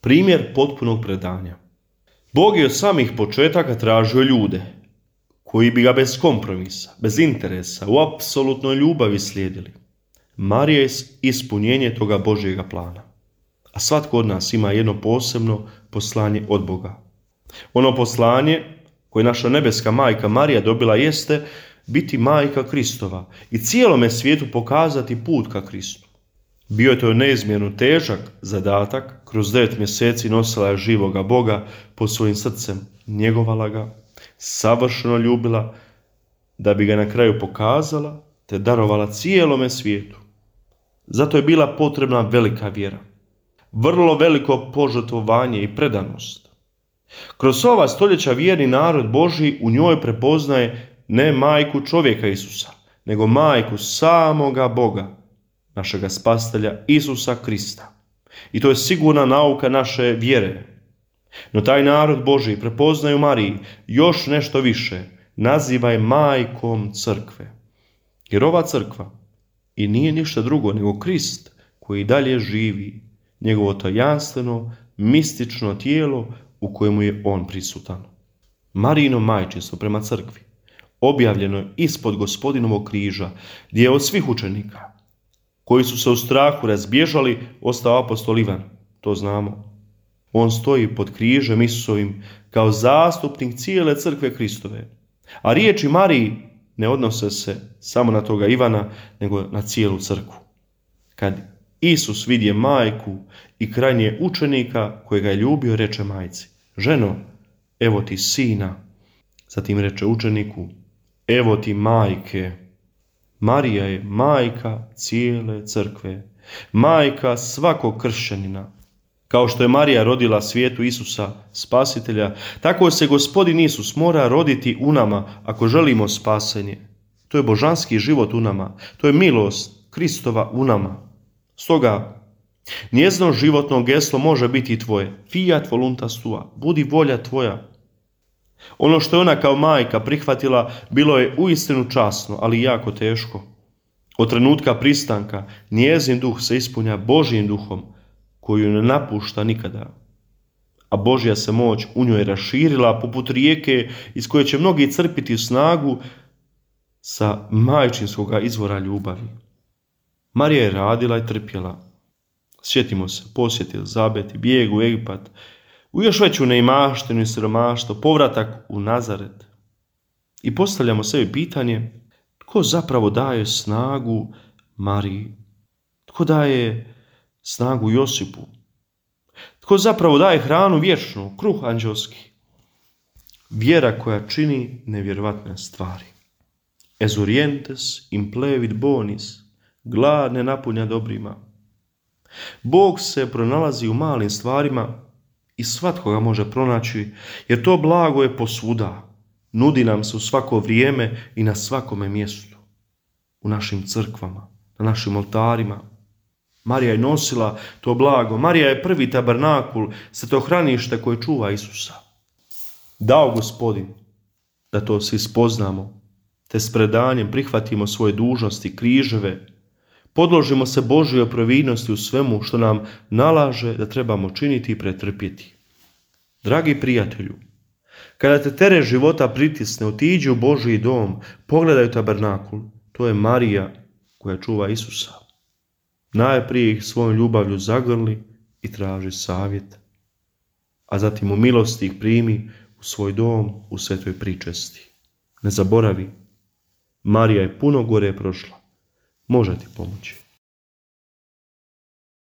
Primjer potpunog predanja. Bog je od samih početaka tražio ljude koji bi ga bez kompromisa, bez interesa, u apsolutnoj ljubavi slijedili. Marija je ispunjenje toga Božjega plana. A svatko od nas ima jedno posebno poslanje od Boga. Ono poslanje koje naša nebeska majka Marija dobila jeste biti majka Kristova i cijelome svijetu pokazati put ka Kristu. Bio je to neizmjerno težak zadatak, kroz 9 mjeseci nosila je živoga Boga pod svojim srcem, njegovala ga, savršeno ljubila, da bi ga na kraju pokazala te darovala cijelome svijetu. Zato je bila potrebna velika vjera, vrlo veliko požrtvovanje i predanost. Kroz ova stoljeća vjerni narod Božji u njoj prepoznaje ne majku čovjeka Isusa, nego majku samoga Boga, našega spasitelja Isusa Krista. I to je sigurna nauka naše vjere. No taj narod Božji prepoznaje u Mariji još nešto više, naziva je majkom crkve. Jer ova crkva i nije ništa drugo nego Krist koji dalje živi, njegovo tajanstveno, mistično tijelo u kojemu je on prisutan. Marijino majčinstvo prema crkvi objavljeno je ispod Gospodinovog križa, gdje je od svih učenika koji su se u strahu razbježali ostao apostol Ivan, to znamo. On stoji pod križem Isusovim kao zastupnik cijele crkve Kristove. A riječi Mariji ne odnose se samo na toga Ivana, nego na cijelu crkvu. Kad Isus vidje majku i krajnje učenika kojega je ljubio, reče majci: ženo, evo ti sina. Zatim reče učeniku: evo ti majke. Marija je majka cijele crkve, majka svakog kršćanina. Kao što je Marija rodila svijetu Isusa, spasitelja, tako se Gospodin Isus mora roditi u nama ako želimo spasenje. To je božanski život u nama, to je milost Kristova u nama. Stoga, njezino životno geslo može biti i tvoje. Fiat voluntas tua, budi volja tvoja. Ono što je ona kao majka prihvatila bilo je uistinu časno, ali jako teško. Od trenutka pristanka njezin duh se ispunja Božjim duhom, koju ne napušta nikada. A Božja se moć u njoj raširila poput rijeke iz koje će mnogi crpiti snagu sa majčinskoga izvora ljubavi. Marija je radila i trpjela. Sjetimo se, posjet Elizabet, bijeg u Egipat, u još veću neimaštinu i siromaštvo, povratak u Nazaret. I postavljamo sebi pitanje: tko zapravo daje snagu Mariji? Tko daje snagu Josipu? Tko zapravo daje hranu vječnu, kruh anđelski? Vjera koja čini nevjerovatne stvari. Ezurientes implevit bonis, glad ne napunja dobrima. Bog se pronalazi u malim stvarima i svatko ga može pronaći, jer to blago je posvuda. Nudi nam se u svako vrijeme i na svakome mjestu. U našim crkvama, na našim oltarima. Marija je nosila to blago. Marija je prvi tabernakul, svetohranište koje čuva Isusa. Dao Gospodin da to svi spoznamo, te s predanjem prihvatimo svoje dužnosti, križeve, podložimo se Božjoj providnosti u svemu što nam nalaže da trebamo činiti i pretrpjeti. Dragi prijatelju, kada te teret života pritisne, otiđi u Božji dom, pogledaj tabernakul, to je Marija koja čuva Isusa. Najprije ih svojom ljubavlju zagrli i traži savjet, a zatim u milosti ih primi u svoj dom u svetoj pričesti. Ne zaboravi, Marija je puno gore prošla. Može ti pomoći.